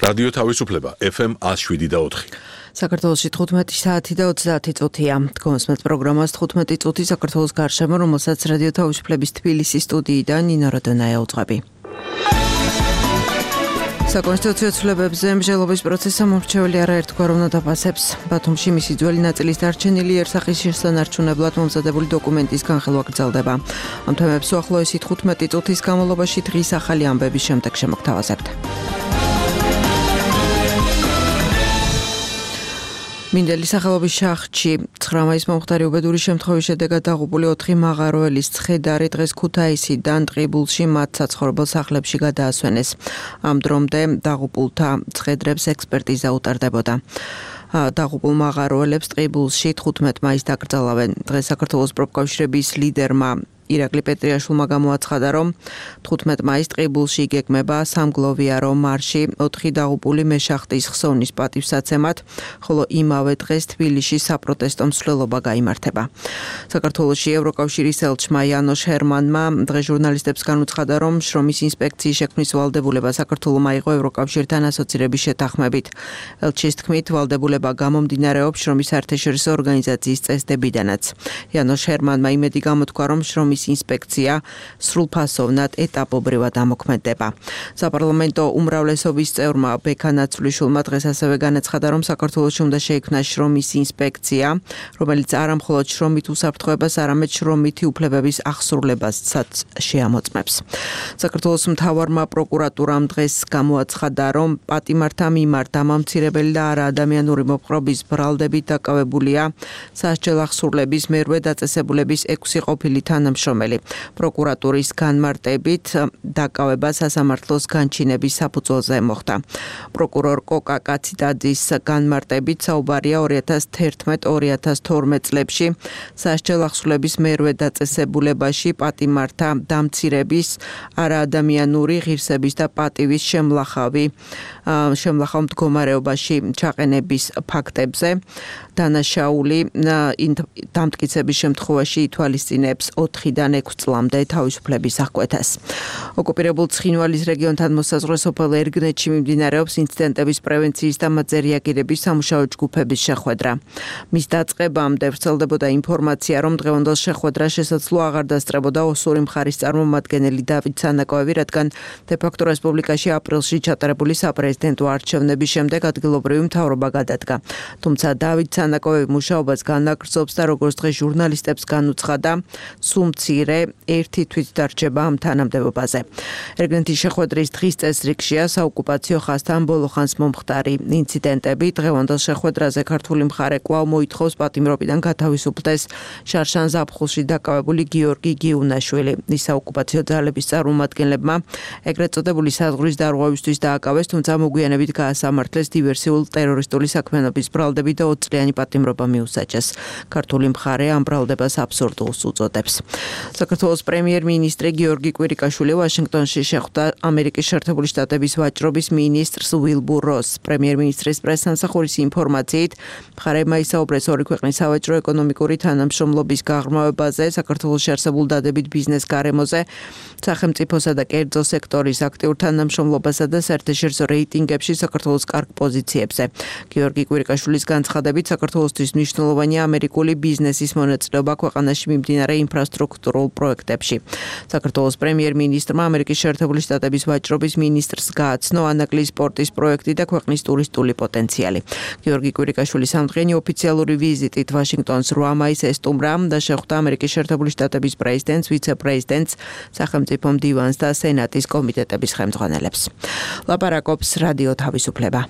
რადიო თავისუფლება FM 107.4. საქართველოში 15 საათი და 30 წუთია. გონსმეთ პროგრამას 15 წუთი საქართველოს გარშემო, რომელსაც რადიო თავისუფლების თბილისის სტუდიიდან ნინო როდონაია უძღვები. საკონსტიტუციო ცვლილებებზე მსჯელობის პროცესს მომრჩეველი არაერთგვაროვნ დაფასებს. ბათუმში მისი ძველი ნაწილის დარჩენილი იერსახის შესანარჩუნებლად მომზადებული დოკუმენტის განხილვა გრძელდება. ამ თემებს უახლოესი 15 წუთის განმავლობაში დღის ახალი ამბების შემდეგ შემოგთავაზებთ. მინდელის სახელობის შახტში 9 მაისს მომხდარი უბედური შემთხვევის შედეგად დაღუპული 4 მაღაროელის ცხედარი დღეს ქუთაისიდან ტყიბულში მათ საცხოვრებელ სახლებში გადაასვენეს. ამ დრომდე დაღუპულთა ცხედრებს ექსპერტიზა უტარდებოდა. დაღუპულ მაღაროელებს ტყიბულში 15 მაისს დაკრძალავენ. დღეს საქართველოს პროფკავშირების ლიდერმა ირაკლი პეტრიაშვილმა გამოაცხადა, რომ 15 მაისს ტყიბულში იგეგმება სამგლოვიარო მარში 4 დაღუპული მეშახტის ხსოვნის პატივსაცემად, ხოლო იმავე დღეს თბილისში საპროტესტო მსვლელობა გაიმართება. საქართველოში ევროკავშირის ელჩმა იანოშ ჰერმანმა დღეს ჟურნალისტებს განუცხადა, რომ შრომის ინსპექციის შექმნის ვალდებულება საქართველოს აიღო ევროკავშირთან ასოცირების შეთანხმებით. ელჩის თქმით, ვალდებულება გამომდინარეობს შრომის საერთაშორისო ორგანიზაციის წესდებიდანაც. იანოშ ჰერმანმა იმედი გამოთქვა, რომ შრომის ინსპექცია სრულფასოვნად ეტაპობრივად ამოქმედება. საპარლამენტო უმრავლესობის წევრმა ბექა ნაცვლიშვილმა დღეს ასევე განაცხადა, რომ საქართველოში უნდა შეიქმნას შრომის ინსპექცია, რომელიც არა მხოლოდ შრომით უსაფრთხოებას, არამედ შრომითი უფლებების აღსრულებასაც შეამოწმებს. საქართველოს მთავარმა პროკურატურამ დღეს გამოაცხადა, რომ პატიმართა მიმართ დამამცირებელი და არაადამიანური მოპყრობის ბრალდებით დაკავებულია სასჯელ აღსრულების მერვე დაწესებულების 6 ყოფილი თანამშრომელი. პროკურატურის განმარტებით დაკავება სასამართლოს განჩინების საფუძველზე მოხდა. პროკურორ კოკა კაციდაძის განმარტებით საუბარია 2011-2012 წლებში სასჯელ აღსრულების მერვე დაწესებულებაში პატიმართა დამცირების, არაადამიანური ღირსების და პატივის შემლახავ მდგომარეობაში ჩაყენების ფაქტებზე. დანაშაული დამტკიცების შემთხვევაში ითვალისწინებს 4-დან 6 წლამდე თავისუფლების აღკვეთას. ოკუპირებულ ცხინვალის რეგიონთან მოსაზღვრე სოფელ ერგნეთში მიმდინარეობს ინციდენტების პრევენციის და მათზე რეაგირების სამუშაო ჯგუფების შეხვედრა. მის დაწყებამდე ვრცელდებოდა ინფორმაცია, რომ დღევანდელ შეხვედრას შესაძლოა აღარ დასწრებოდა ოსური მხარის წარმომადგენელი დავით სანაკოევი, რადგან დე-ფაქტო რესპუბლიკაში აპრილში ჩატარებული საპრეზიდენტო არჩევნების შემდეგ ადგილობრივი მთავრობა გადადგა. თუმცა დავით სანაკოევი მუშაობას განაგრძობს და როგორც დღეს ჟურნალისტებს განუცხადა, სულ მცირე ერთი თვითდარჩება ამ თანამდებობაზე. ერგნეთის შეხვედრის დღის წესრიგშია საოკუპაციო ხაზთან ბოლო ხანს მომხდარი ინციდენტები. დღევანდელ შეხვედრაზე ქართული მხარე კვლავ მოითხოვს პატიმრობიდან გათავისუფლდეს შარშან ზაფხულში დაკავებული გიორგი გიუნაშვილი. ის საოკუპაციო ძალების წარმომადგენლებმა ეგრეთ წოდებული საზღვრის დარღვევისთვის დააკავეს, თუმცა მოგვიანებით გაასამართლეს დივერსიულ ტერორისტული საქმიანობის ბრალდებით და 20 წლიანი პატიმრობა მიუსაჯეს. ქართული მხარე ამ ბრალდებას აბსურდულს უწოდებს. საქართველოს პრემიერ-მინისტრი გიორგი კვირიკაშვილი ვაშინგტონში შეხვდა ამერიკის შეერთებული შტატების ვაჭრობის მინისტრს უილბურ როსს. პრემიერ-მინისტრის პრესსამსახურის ინფორმაციით, მხარეებმა ისაუბრეს ორი ქვეყნის სავაჭრო-ეკონომიკური თანამშრომლობის გაღრმავებაზე, საქართველოში არსებულ დადებით ბიზნეს გარემოზე, სახელმწიფოსა და კერძო სექტორის აქტიურ თანამშრომლობასა და საერთაშორისო რეიტინგებში საქართველოს კარგ პოზიციებზე. გიორგი კვირიკაშვილის განცხადებით, საქართველოსთვის მნიშვნელოვანია ამერიკული ბიზნესის მონაწილეობა ქვეყანაში მიმდინარე ინფრასტრუქტურულ პროექტებში. საქართველოს პრემიერ-მინისტრმა ამერიკის შეერთებული შტატების ვაჭრობის მინისტრს გააცნო ანაკლის სპორტის პროექტი და ქვეყნის ტურისტული პოტენციალი. გიორგი კვირიკაშვილის სამდღიანი ოფიციალური ვიზიტით ვაშინგტონს 8 მაისს ესტუმრა და შეხვდა ამერიკის შეერთებული შტატების პრეზიდენტს, ვიცე-პრეზიდენტს, სახელმწიფო მდივანს და სენატის კომიტეტების ხელმძღვანელებს. ლაპარაკობს რადიო თავისუფლება.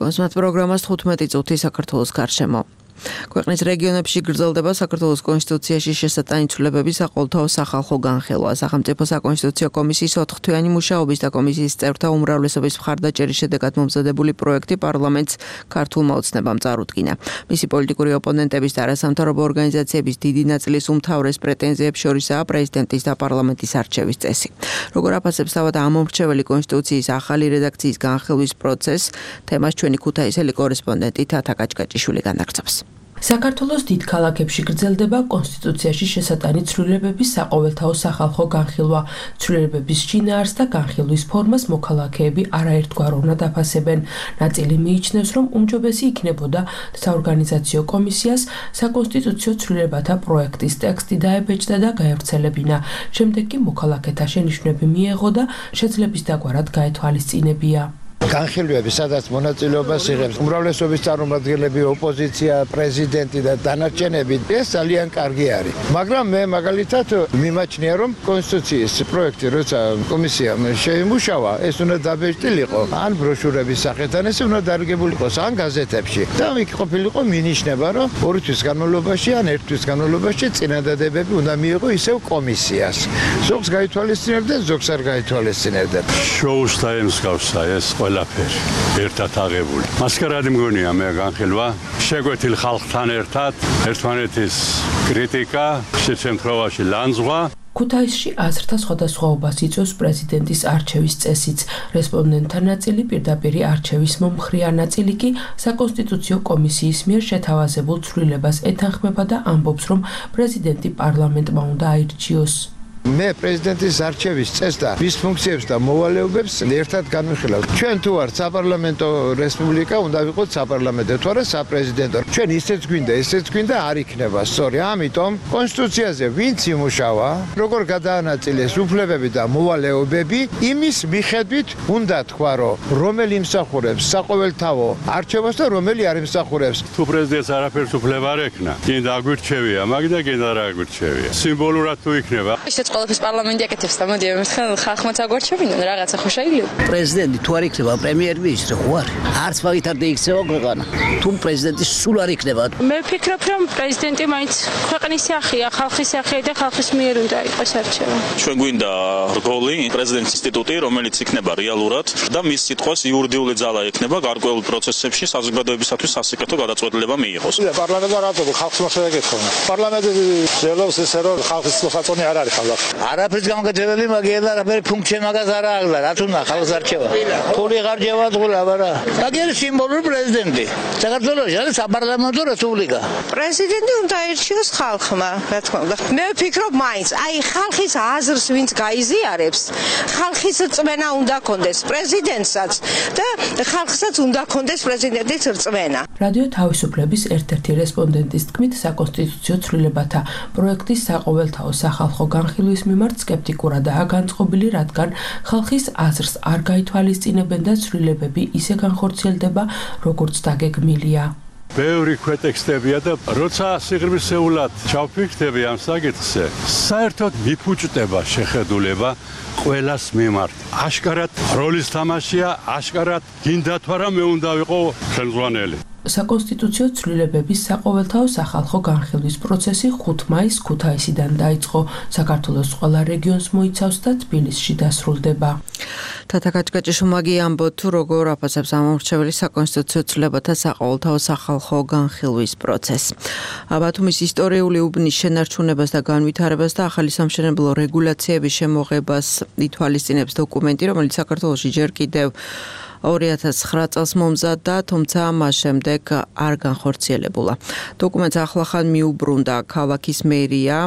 გონსმეთ პროგრამას 15 წუთი საქართველოს გარშემო. ქვეყნის რეგიონებში გრძელდება საქართველოს კონსტიტუციაში შესატანი ცვლილებების საყოველთაო სახალხო განხილვა. სახელმწიფო საკონსტიტუციო კომისიის 4-თვიანი მუშაობის და კომისიის წევრთა უმრავლესობის მხარდაჭერის შედეგად მომზადებული პროექტი პარლამენტს ქართულმა ოცნებამ წარუდგინა. მისი პოლიტიკური ოპონენტების და არასამთავრობო ორგანიზაციების დიდი ნაწილის უმთავრეს პრეტენზიებს შორისაა პრეზიდენტის და პარლამენტის არჩევის წესი. როგორ აფასებს თავად ამომრჩეველი კონსტიტუციის ახალი რედაქციის განხილვის პროცესს, თემას ჩვენი ქუთაისელი კორესპონდენტი თათა კაჭკაჭიშვილი განაგრძობს. საქართველოს დიდ ქალაქებში გრძელდება კონსტიტუციაში შესატანი ცვლილებების საყოველთაო სახალხო განხილვა. ცვლილებების შინაარსს და განხილვის ფორმას მოქალაქეები არაერთგვაროვნად აფასებენ. ნაწილი მიიჩნევს, რომ უმჯობესი იქნებოდა საორგანიზაციო კომისიას საკონსტიტუციო ცვლილებათა პროექტის ტექსტი დაებეჭდა და გაევრცელებინა. შემდეგ კი მოქალაქეთა შენიშვნები მიეღო და შეძლების დაგვარად გაეთვალისწინებია. განხილვები, სადაც მონაწილეობას იღებს უმრავლესობის წარმომადგენლები, ოპოზიცია, პრეზიდენტი და დანარჩენები, ეს ძალიან კარგი არის. მაგრამ მე მაგალითად მიმაჩნია, რომ კონსტიტუციის პროექტი, როცა კომისიამ შეიმუშავა, ეს უნდა დაბეჭდილიყო, ან ბროშურების სახით, ან ეს უნდა დარგებულიყო ან გაზეთებში. და იქ ყოფილიყო მინიშნება, რომ 2 თვის განმავლობაში ან 1 თვის განმავლობაში წინადადებები უნდა მიიღო ისევ კომისიას. ზოგს გაითვალისწინებდა, ზოგს არ გაითვალისწინებდა. შოუს დაემსგავსა ეს ყველაფერი ერთად აღებული. მასკარადი მგონია მე განხილვა, შეგვეთილ ხალხთან ერთად, ერთმანეთის კრიტიკა, შემთხვევაში ლანძღვა. ქუთაისში აზრთა სხვადასხვაობას იწვევს პრეზიდენტის არჩევის წესიც. რესპონდენტთა ნაწილი პირდაპირ არჩევის მომხრეა, ნაწილი კი საკონსტიტუციო კომისიის მიერ შეთავაზებულ ცვლილებას ეთანხმება და ამბობს, რომ პრეზიდენტი პარლამენტმა უნდა აირჩიოს. მე პრეზიდენტის არჩევის წესს და მის ფუნქციებს და მოვალეობებს ერთად განვიხილავ. ჩვენ თუ ვართ საპარლამენტო რესპუბლიკა, უნდა ვიყოთ საპარლამენტო, თუ არა საპრეზიდენტო. ჩვენ ისეც გვინდა, არ იქნება სწორი. ამიტომ კონსტიტუციაზე ვინც იმუშავა, როგორ გადაანაწილეს უფლებები და მოვალეობები, იმის მიხედვით უნდა თქვა, რომ რომელი იმსახურებს საყოველთაო არჩევას და რომელი არ იმსახურებს. თუ პრეზიდენტს არაფერს უფლება არ ექნა, კიდე აგვირჩევია, მაგ და კიდე არ აგვირჩევია. სიმბოლურად თუ იქნება ყველაფერს პარლამენტი აკეთებს და მოდი მეთქე ხალხმაც აგვარჩევინონ რაღაცა ხო შეიძლება. პრეზიდენტი თუ არ იქნება პრემიერ-მინისტრი ხო არ? არც მაგითარ დაიქცევა ქვეყანა. თუ პრეზიდენტი სულ არ იქნება. მე ვფიქრობ, რომ პრეზიდენტი მაინც ქვეყნის სახეა, ხალხის სახეა და ხალხის მიერ უნდა იყოს არჩევა. ჩვენ გვინდა რგოლი, პრეზიდენტის ინსტიტუტი, რომელიც იქნება რეალურად და მის სიტყვას იურიდიული ძალა ექნება გარკვეულ პროცესებში საზოგადოებისათვის სასიკეთო გადაწყვეტილება მიიღოს. პარლამენტმა რატო ხალხს მოსაგეთხოვნა? პარლამენტი ძლებს ესე რომ ხალხის მოსაწონი არ არის ხალხი. არაფერს გამგეძებელი მაგიერ არაფერი ფუნქცია მაგას არ აღლა, რა თქმა უნდა ხალხს არჩევა. ფული გარჯევა თულა, არა. მაგერ სიმბოლური პრეზიდენტი. საქართველოს არის საპარლამენტო რესპუბლიკა. პრეზიდენტი უნდა აირჩიოს ხალხმა, რა თქმა უნდა. მე ვფიქრობ მაინც, აი ხალხის აზრს ვინც გაიზიარებს, ხალხის რწმენა უნდა კონდეს პრეზიდენტსაც და ხალხსაც უნდა კონდეს პრეზიდენტის რწმენა. რადიო თავისუფლების ერთ-ერთი რესპონდენტის თქმით, საკონსტიტუციო ცვლილებათა პროექტის საყოველთაო სახალხო განხილვის მიმართ სკეპტიკურადაა განწყობილი, რადგან ხალხის აზრს არ გაითვალისწინებენ და ცვლილებები ისე განხორციელდება, როგორც დაგეგმილია. ბევრი ქვეტექსტებია და როცა სიღრმისეულად ჩავფიქრდები ამ საკითხზე, საერთოდ მიფუჭდება შეხედულება ყველას მიმართ. აშკარად როლის თამაშია, აშკარად გინდა თუ არა მე უნდა ვიყო ხელმძღვანელი. საკონსტიტუციო ცვლილებების საყოველთაო სახალხო განხილვის პროცესი 5 მაისს ქუთაისიდან დაიწყო. საქართველოს ყველა რეგიონს მოიცავს და თბილისში დასრულდება. თათა კაჭკაჭიშუმაგი ამბობთ, თუ როგორ აფასებს ამომრჩეველი საკონსტიტუციო ცვლილებათა საყოველთაო სახალხო განხილვის პროცესს. ბათუმის ისტორიული უბნის შენარჩუნებას და განვითარებას და ახალი სამშენებლო რეგულაციების შემოღებას ითვალისწინებს დოკუმენტი, რომელიც საქართველოში ჯერ კიდევ 2009 წელს მომზადდა, თუმცა მას შემდეგ არ განხორციელებულა. დოკუმენტს ახლახან მიუბრუნდა ქალაქის მერია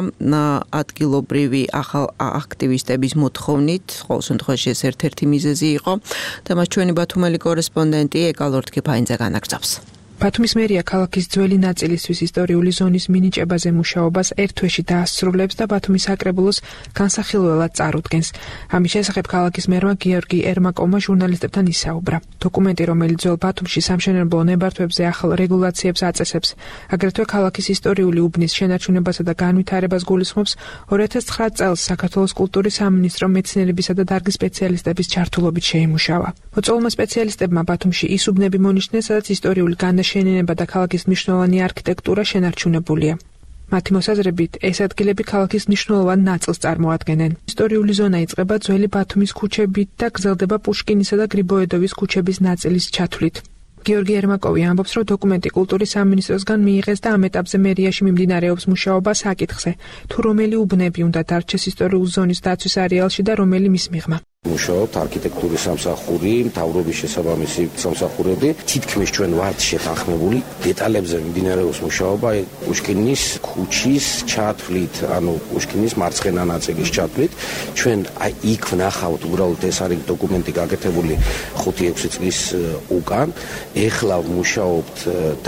ადგილობრივი ახალ აქტივისტების მოთხოვნით, ყოველ შემთხვევაში ეს ერთ-ერთი მიზეზი იყო. თემას ჩვენი ბათუმელი კორესპონდენტი ეკალორთ კიფაინძე განაგრძობს. ბათუმის მერია ქალაქის ძველი ნაწილისთვის ისტორიული ზონის მინიჭებაზე მუშაობას ერთ თვეში დაასრულებს და ბათუმის საკრებულოს განსახილველად წარუდგენს. ამის შესახებ ქალაქის მერმა გიორგი ერმაკოვმა ჟურნალისტებთან ისაუბრა. დოკუმენტი, რომელიც ძველ ბათუმში სამშენებლო ნებართვებზე ახალ რეგულაციებს აწესებს, აგრეთვე ქალაქის ისტორიული უბნის შენარჩუნებასა და განვითარებას გულისხმობს, 2009 წელს საქართველოს კულტურის სამინისტრო მეცნიერებისა და დარგის სპეციალისტების ჩართულობით შეიმუშავა. მოწვეულმა სპეციალისტებმა ბათუმში ის უბნები მონიშნეს, სადაც ისტორიული შენენება და ქალაქის მნიშვნელოვანი არქიტექტურა შენარჩუნებულია. მათი მოსაზრებით, ეს ადგილები ქალაქის მნიშვნელოვან ნაწილს წარმოადგენენ. ისტორიული ზონა იწყება ძველი ბათუმის ქუჩებით და გრძელდება პუშკინისა და გრიბოედოვის ქუჩების ნაწილის ჩათვლით. გიორგი ერმაკოვი ამბობს, რომ დოკუმენტი კულტურის სამინისტროსგან მიიღეს და ამ ეტაპზე მერიაში მიმდინარეობს მუშაობა საკითხზე, თუ რომელი უბნები უნდა დარჩეს ისტორიული ზონის დაცვის არეალში და რომელი მის მიღმა. მუშაობთ არქიტექტურის სამსახური, მთავრობის შესაბამისი სამსახურები. თითქმის ჩვენ ვართ შეთანხმებული დეტალებზე მიმდინარეობს მუშაობა პუშკინის ქუჩის ჩათვლით, ანუ პუშკინის მარცხენა ნაწილის ჩათვლით. ჩვენ იქ ვნახავთ უბრალოდ ეს არის დოკუმენტი გაკეთებული 5-6 წლის უკან. ეხლა მუშაობთ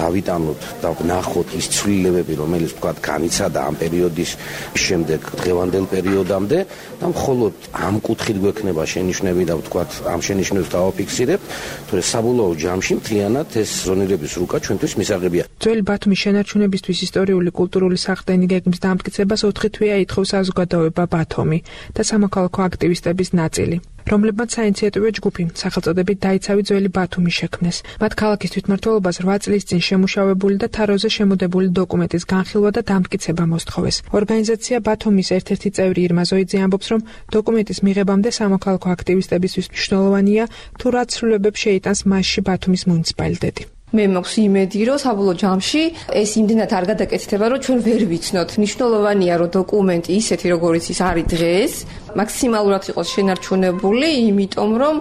დავიტანოთ და ვნახოთ ის ცვლილებები, რომელიც თქვა განიცადა ამ პერიოდის შემდეგ დღევანდელ პერიოდამდე და მხოლოდ ამ კუთხით გვექნება შენიშვნები და ვთქვათ ამ შენიშვნებს დავაფიქსირებთ, თორე საბოლოო ჯამში მთლიანად ეს ზონირების რუკა ჩვენთვის მისაღებია. ძველი ბათუმის შენარჩუნებისთვის ისტორიული კულტურული სახლდენი გეგმის დამტკიცებას 4 თვეა ითხოვს საზოგადოება ბათუმი და სამოქალაქო აქტივისტების ნაწილი, რომლებმაც საინიციატივო ჯგუფი სახელწოდებით დაიცავი ძველი ბათუმი შექმნეს. მათ ქალაქის თვითმმართველობას 8 წლის წინ შემუშავებული და თაროზე შემოდებული დოკუმენტის განხილვა და დამტკიცება მოსთხოვეს. ორგანიზაცია ბათუმის ერთ-ერთი წევრი ირმა ზოიძე ამბობს, რომ დოკუმენტის მიღებამდე სამოქალაქო აქტივისტებისთვის მნიშვნელოვანია თუ რა ცვლილებებს შეიტანს მასში ბათუმის მუნიციპალიტეტი. მე მაქვს იმედი, რომ საბოლოო ჯამში ეს იმდენად არ გადაკეთდება, რომ ჩვენ ვერ ვიცნოთ. მნიშვნელოვანია, რომ დოკუმენტი ისეთი, როგორიც ის არის დღეს, მაქსიმალურად იყოს შენარჩუნებული, იმიტომ რომ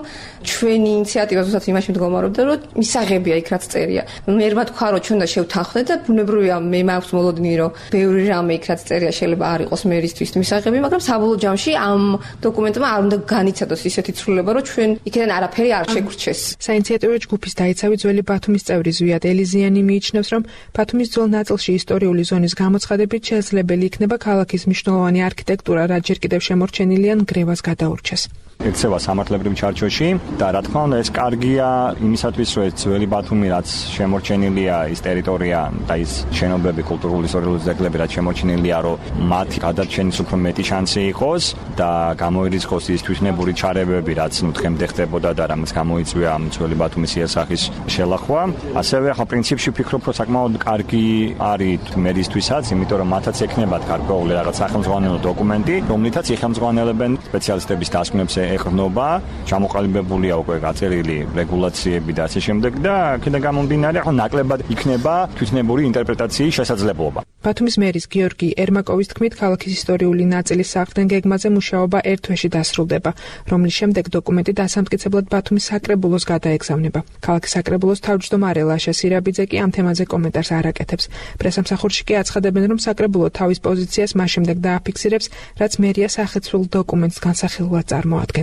ჩვენი ინიციატივა ზუსტად იმაში მდგომარეობდა, რომ მისაღებია იქ რაც წერია. მე რა თქვა, რომ ჩვენ და შევთანხმდეთ და ბუნებრივია მე მაქვს მოლოდინი, რომ ბევრი რამე იქ რაც წერია შეიძლება არ იყოს მერისთვის მისაღები, მაგრამ საბოლოო ჯამში ამ დოკუმენტმა არ უნდა განიცადოს ისეთი ცვლილება, რომ ჩვენ იქიდან არაფერი არ შეგვრჩეს. საინიციატივო ჯგუფის დაიცავი ძველი ბათუმის წევრი ზვიად ელიზიანი მიიჩნევს, რომ ბათუმის ძველ ნაწილში ისტორიული ზონის გამოცხადებით შესაძლებელი იქნება ქალაქის მნიშვნელოვანი არქიტექტურა, რაც ჯერ კიდევ შემორჩენილია ნგრევას გადაურჩეს. ექცევა სამართლებრივ ჩარჩოში და რა თქმა უნდა ეს კარგია იმისათვის, რომ ეს ძველი ბათუმი რაც შემორჩენილია ის ტერიტორია და ის შენობები, კულტურული ისტორიული ძეგლები რაც შემორჩენილია, რომ მათი გადარჩენის უფრო მეტი შანსი იყოს და გამოირიცხოს ის თვითნებური ჩარევები, რაც დღემდე ხდებოდა და რამაც გამოიწვია ამ ძველი ბათუმის იერსახის შელახვა. ასევე ახლა პრინციპში ვფიქრობ, რომ საკმაოდ კარგი არის მერისთვისაც, იმიტომ რომ მათაც ექნებათ გარკვეული რაღაც სახელმძღვანელო დოკუმენტი, რომლითაც იხელმძღვანელებენ სპეციალისტების დასკვნებს ეყრდნობა, ჩამოყალიბებულია უკვე გაწერილი რეგულაციები და ასე შემდეგ და აქედან გამომდინარე, ახლა ნაკლებად იქნება თვითნებური ინტერპრეტაციის შესაძლებლობა. ბათუმის მერის გიორგი ერმაკოვის თქმით, ქალაქის ისტორიული ნაწილის სახლდენ გეგმაზე მუშაობა ერთ თვეში დასრულდება, რომლის შემდეგ დოკუმენტი დასამტკიცებლად ბათუმის საკრებულოს გადაეგზავნება. ქალაქის საკრებულოს თავმჯდომარე ლაშა სირაბიძე კი ამ თემაზე კომენტარს არ აკეთებს. პრესამსახურში კი აცხადებენ, რომ საკრებულო თავის პოზიციას მას შემდეგ დააფიქსირებს, რაც მერია სახეცვლილ დოკუმენტს განსახილვად წარმოადგენს.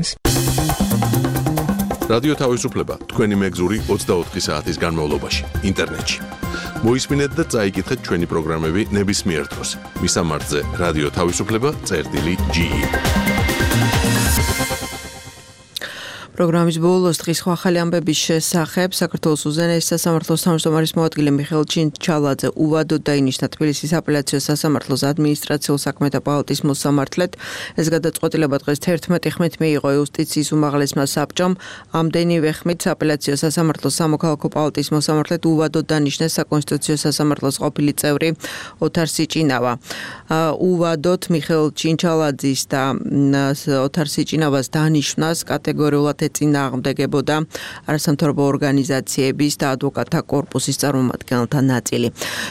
რადიო თავისუფლება თქვენი მეგზური 24 საათის განმავლობაში ინტერნეტში. მოისმინეთ და წაიკითხეთ ჩვენი პროგრამები ნებისმიერ დროს. მისამართზე რადიო თავისუფლება.ge. პროგრამის ბოლოს დღის ახალი ამბების შესახებ საქართველოს უზენაესი სასამართლოს თავმჯდომარის მოადგილე მიხეილ ჩინჩალაძე უვადოდ დაინიშნა თბილისის აპელაციო სასამართლოს ადმინისტრაციულ საქმეთა პალატის მოსამართლედ. ეს გადაწყვეტილება დღეს 11 ხმით მიიღო იუსტიციის უმაღლესმა საბჭომ. ამდენივე ხმით აპელაციო სასამართლოს სამოქალაქო პალატის მოსამართლედ უვადოდ დანიშნეს საკონსტიტუციო სასამართლოს ყოფილი წევრი ოთარ სიჭინავა. უვადოდ მიხეილ ჩინჩალაძის და ოთარ სიჭინავას დანიშვნას კატეგორიულად ეწინააღმდეგებოდა არასამთავრობო ორგანიზაციების და ადვოკატთა კორპუსის წარმომადგენელთა ნაწილი.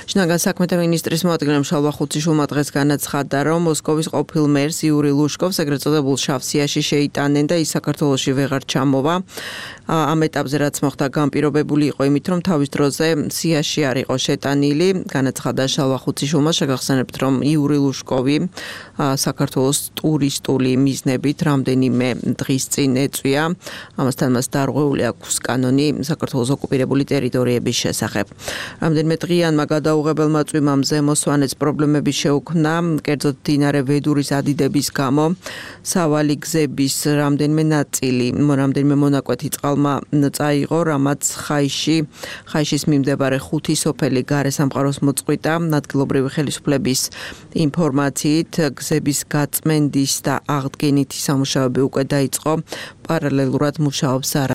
შინაგან საქმეთა მინისტრის მოადგილემ შალვა ხუციშვილმა დღეს განაცხადა, რომ მოსკოვის ყოფილ მერს იური ლუშკოვს ეგრეთ წოდებულ შავ სიაში შეიტანენ და ის საქართველოში ვეღარ ჩამოვა. ამ ეტაპზე რაც მოხდა განპირობებული იყო იმით, რომ თავის დროზე სიაში არ იყო შეტანილი. განაცხადა შალვა ხუციშვილმა, შეგახსენებთ, რომ იური ლუშკოვი საქართველოს ტურისტული მიზნებით რამდენიმე დღის წინ ეწვია. ამასთან მას დარღვეული აქვს კანონი საქართველოს ოკუპირებული ტერიტორიების შესახებ. რამდენიმე დღიანმა გადაუღებელმა წვიმამ ზემოსვანეთს პრობლემები შეუქმნა, კერძოდ მდინარე ვედურის ადიდების გამო. სავალი გზების რამდენიმე ნაწილი, რამდენიმე მონაკვეთი წყალმა წაიღო, რამაც ხაიშის მიმდებარე 5 სოფელი გარესამყაროს მოწყვიტა. ადგილობრივი ხელისუფლების ინფორმაციით გზების გაწმენდის და აღდგენითი სამუშაოები უკვე დაიწყო. პარალელურად მუშაობს